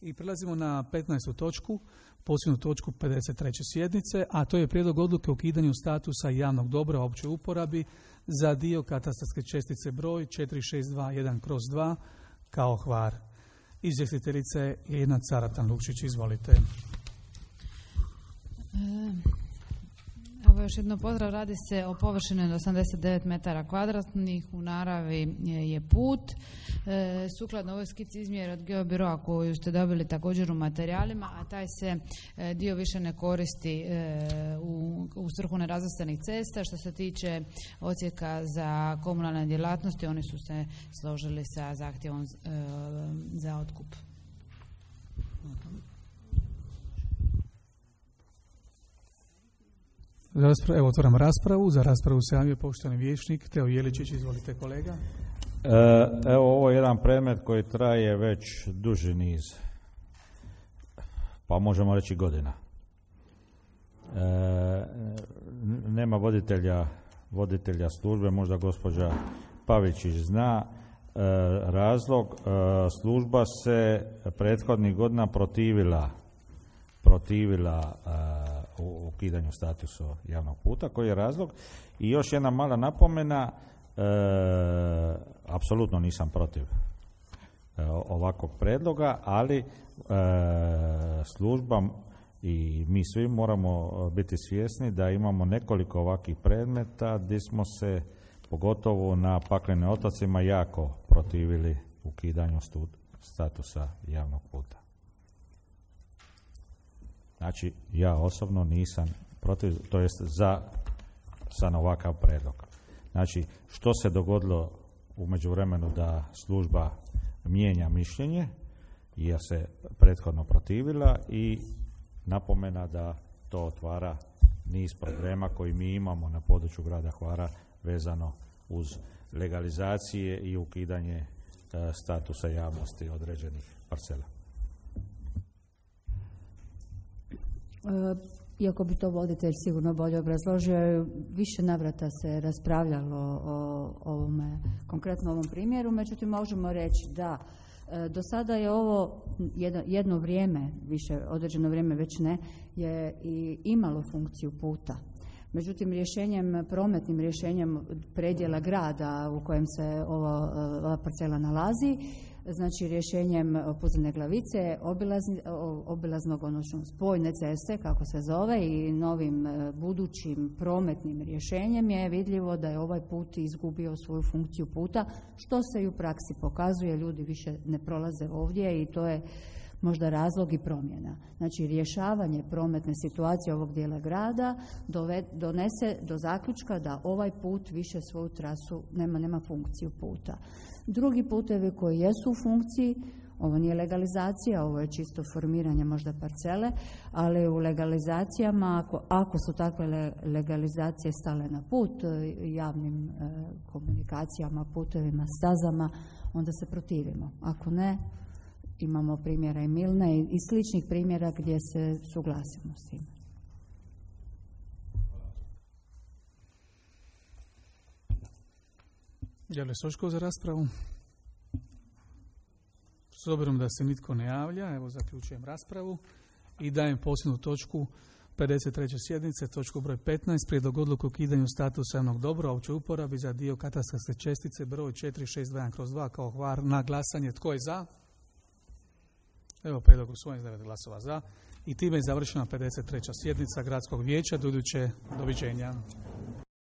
I prelazimo na 15. točku, posljednju točku 53. sjednice, a to je prijedlog odluke o ukidanju statusa javnog dobra u općoj uporabi za dio katastarske čestice broj 4621/2 kao Hvar. Izvjestiteljica je Ljiljana Caratan-Lukšić, izvolite. Evo još jedno pozdrav, radi se o površini od 89 metara kvadratnih, u naravi je put. Sukladno ovoj skici izmjere od Geobiroa koju ste dobili također u materijalima, a taj se dio više ne koristi u svrhu nerazvrstanih cesta. Što se tiče odsjeka za komunalne djelatnosti, oni su se složili sa zahtjevom za otkup. Evo, otvaram raspravu. Za raspravu se javio poštovani vijećnik Teo Jeličić. Izvolite, kolega. Evo, ovo je jedan predmet koji traje već duži niz, pa možemo reći godina. Nema voditelja službe, možda gospođa Pavičić zna razlog. Služba se prethodnih godina protivila u ukidanju statusa javnog puta. Koji je razlog? I još jedna mala napomena, apsolutno nisam protiv ovakvog predloga, ali služba i mi svi moramo biti svjesni da imamo nekoliko ovakvih predmeta gdje smo se, pogotovo na Paklenim otocima, jako protivili ukidanju statusa javnog puta. Znači, ja osobno nisam protiv, to jest za ovakav predlog. Znači, što se dogodilo u međuvremenu da služba mijenja mišljenje, jer se prethodno protivila, i napomena da to otvara niz problema koji mi imamo na području grada Hvara vezano uz legalizacije i ukidanje statusa javnosti određenih parcela. Iako bi to voditelj sigurno bolje obrazložio, više navrata se raspravljalo o ovome, konkretno ovom primjeru, međutim možemo reći da do sada je ovo jedno vrijeme, više određeno vrijeme već ne, je i imalo funkciju puta. Međutim, prometnim rješenjem predjela grada u kojem se ova parcela nalazi, znači rješenjem Puzine Glavice, obilaznog, odnosno spojne ceste, kako se zove, i novim budućim prometnim rješenjem je vidljivo da je ovaj put izgubio svoju funkciju puta, što se i u praksi pokazuje. Ljudi više ne prolaze ovdje i to je možda razlog i promjena. Znači, rješavanje prometne situacije ovog dijela grada donese do zaključka da ovaj put više svoju trasu nema funkciju puta. Drugi putevi koji jesu u funkciji, ovo nije legalizacija, ovo je čisto formiranje možda parcele, ali u legalizacijama, ako su takve legalizacije stale na put javnim komunikacijama, putevima, stazama, onda se protivimo. Ako ne, imamo primjera i Milne i sličnih primjera gdje se suglasimo s tim. Javlja Soško za raspravu. S obzirom da se nitko ne javlja, evo zaključujem raspravu i dajem posljednju točku 53. sjednice, točku broj 15, prijedlog odluke o ukidanju statusa javnog dobra u općoj uporabi za dio katastarske čestice broj 4621/2 kao Hvar, na glasanje. Tko je za? Evo, prijedlog usvojen, 9 glasova za. I time je završena 53. sjednica Gradskog vijeća. Do iduće, doviđenja.